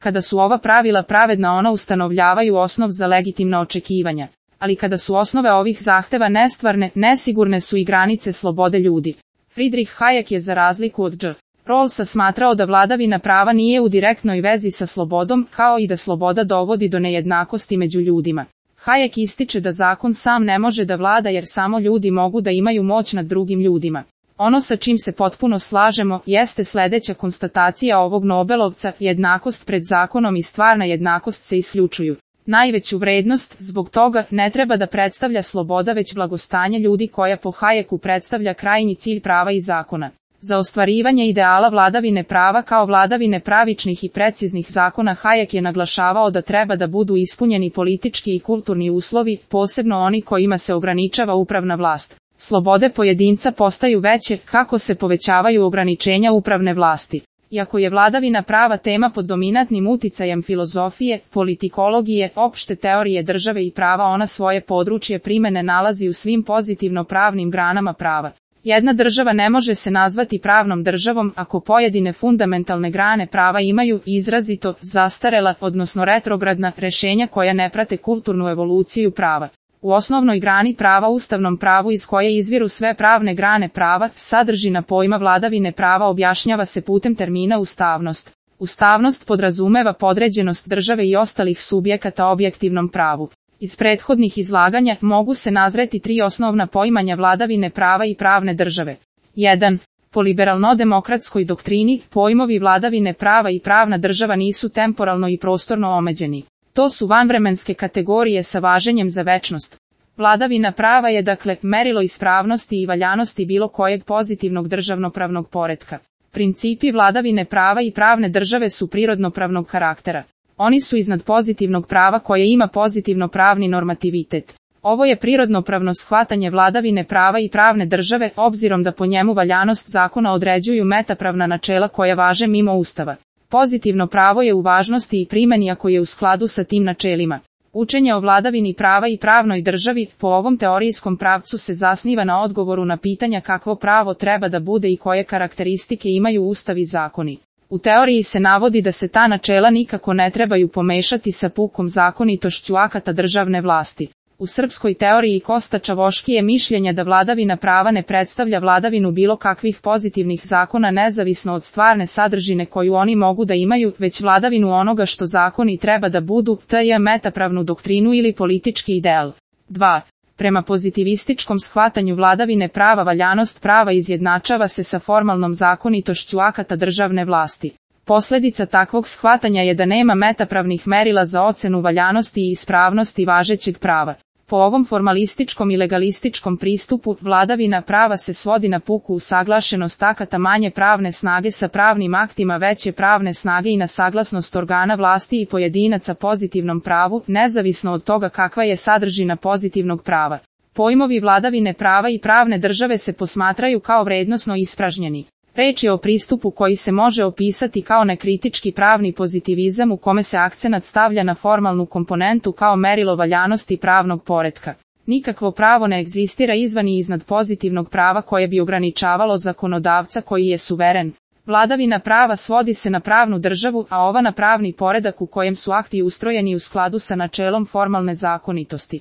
Kada su ova pravila pravedna, ona ustanovljavaju osnov za legitimna očekivanja. Ali kada su osnove ovih zahteva nestvarne, nesigurne su i granice slobode ljudi. Friedrich Hayek je za razliku od J. Rawlsa smatrao da vladavina prava nije u direktnoj vezi sa slobodom, kao i da sloboda dovodi do nejednakosti među ljudima. Hayek ističe da zakon sam ne može da vlada jer samo ljudi mogu da imaju moć nad drugim ljudima. Ono sa čim se potpuno slažemo jeste sljedeća konstatacija ovog Nobelovca: jednakost pred zakonom i stvarna jednakost se isključuju. Najveću vrednost zbog toga ne treba da predstavlja sloboda već blagostanje ljudi koja po Hayeku predstavlja krajnji cilj prava i zakona. Za ostvarivanje ideala vladavine prava kao vladavine pravičnih i preciznih zakona Hayek je naglašavao da treba da budu ispunjeni politički i kulturni uslovi, posebno oni kojima se ograničava upravna vlast. Slobode pojedinca postaju veće kako se povećavaju ograničenja upravne vlasti. Iako je vladavina prava tema pod dominantnim uticajem filozofije, politikologije, opšte teorije države i prava, ona svoje područje primene nalazi u svim pozitivno pravnim granama prava. Jedna država ne može se nazvati pravnom državom ako pojedine fundamentalne grane prava imaju izrazito zastarela, odnosno retrogradna rješenja koja ne prate kulturnu evoluciju prava. U osnovnoj grani prava, ustavnom pravu iz koje izviru sve pravne grane prava, sadržina pojma vladavine prava objašnjava se putem termina ustavnost. Ustavnost podrazumeva podređenost države i ostalih subjekata objektivnom pravu. Iz prethodnih izlaganja mogu se nazreti tri osnovna poimanja vladavine prava i pravne države. 1. Po liberalno-demokratskoj doktrini, pojmovi vladavine prava i pravna država nisu temporalno i prostorno omeđeni. To su vanvremenske kategorije sa važenjem za večnost. Vladavina prava je dakle merilo ispravnosti i valjanosti bilo kojeg pozitivnog državnopravnog poretka. Principi vladavine prava i pravne države su prirodnopravnog karaktera. Oni su iznad pozitivnog prava koje ima pozitivno pravni normativitet. Ovo je prirodnopravno shvatanje vladavine prava i pravne države, obzirom da po njemu valjanost zakona određuju metapravna načela koja važe mimo Ustava. Pozitivno pravo je u važnosti i primjeni ako je u skladu sa tim načelima. Učenje o vladavini prava i pravnoj državi po ovom teorijskom pravcu se zasniva na odgovoru na pitanja kakvo pravo treba da bude i koje karakteristike imaju Ustav i zakoni. U teoriji se navodi da se ta načela nikako ne trebaju pomešati sa pukom zakonitošću akata državne vlasti. U srpskoj teoriji Kosta Čavoški je mišljenja da vladavina prava ne predstavlja vladavinu bilo kakvih pozitivnih zakona nezavisno od stvarne sadržine koju oni mogu da imaju, već vladavinu onoga što zakoni treba da budu, t.j. metapravnu doktrinu ili politički ideal. 2. Prema pozitivističkom shvatanju vladavine prava valjanost prava izjednačava se sa formalnom zakonitošću akata državne vlasti. Posljedica takvog shvatanja je da nema metapravnih merila za ocenu valjanosti i ispravnosti važećeg prava. Po ovom formalističkom i legalističkom pristupu, vladavina prava se svodi na puku usaglašenost akata manje pravne snage sa pravnim aktima veće pravne snage i na saglasnost organa vlasti i pojedinaca pozitivnom pravu, nezavisno od toga kakva je sadržina pozitivnog prava. Pojmovi vladavine prava i pravne države se posmatraju kao vrednosno ispražnjeni. Reč je o pristupu koji se može opisati kao nekritički pravni pozitivizam u kome se akcenat stavlja na formalnu komponentu kao merilo valjanosti pravnog poretka. Nikakvo pravo ne egzistira izvan i iznad pozitivnog prava koje bi ograničavalo zakonodavca koji je suveren. Vladavina prava svodi se na pravnu državu, a ova na pravni poredak u kojem su akti ustrojeni u skladu sa načelom formalne zakonitosti.